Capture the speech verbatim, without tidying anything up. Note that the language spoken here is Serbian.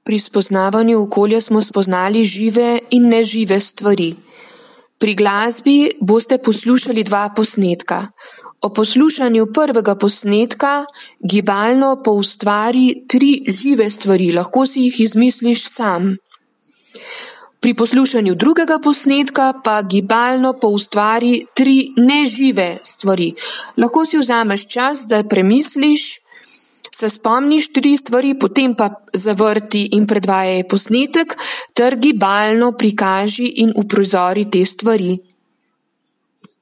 Pri spoznavanju okolja smo spoznali žive in nežive stvari. Pri glasbi boste poslušali dva posnetka. O poslušanju prvega posnetka gibalno poustvari tri žive stvari, lahko si jih izmisliš sam. Pri poslušanju drugega posnetka pa gibalno poustvari tri nežive stvari. Lahko si vzameš čas, da premisliš, se spomniš tri stvari, potem pa zavrti in predvajaj posnetek ter gibalno prikaži in uprizori te stvari.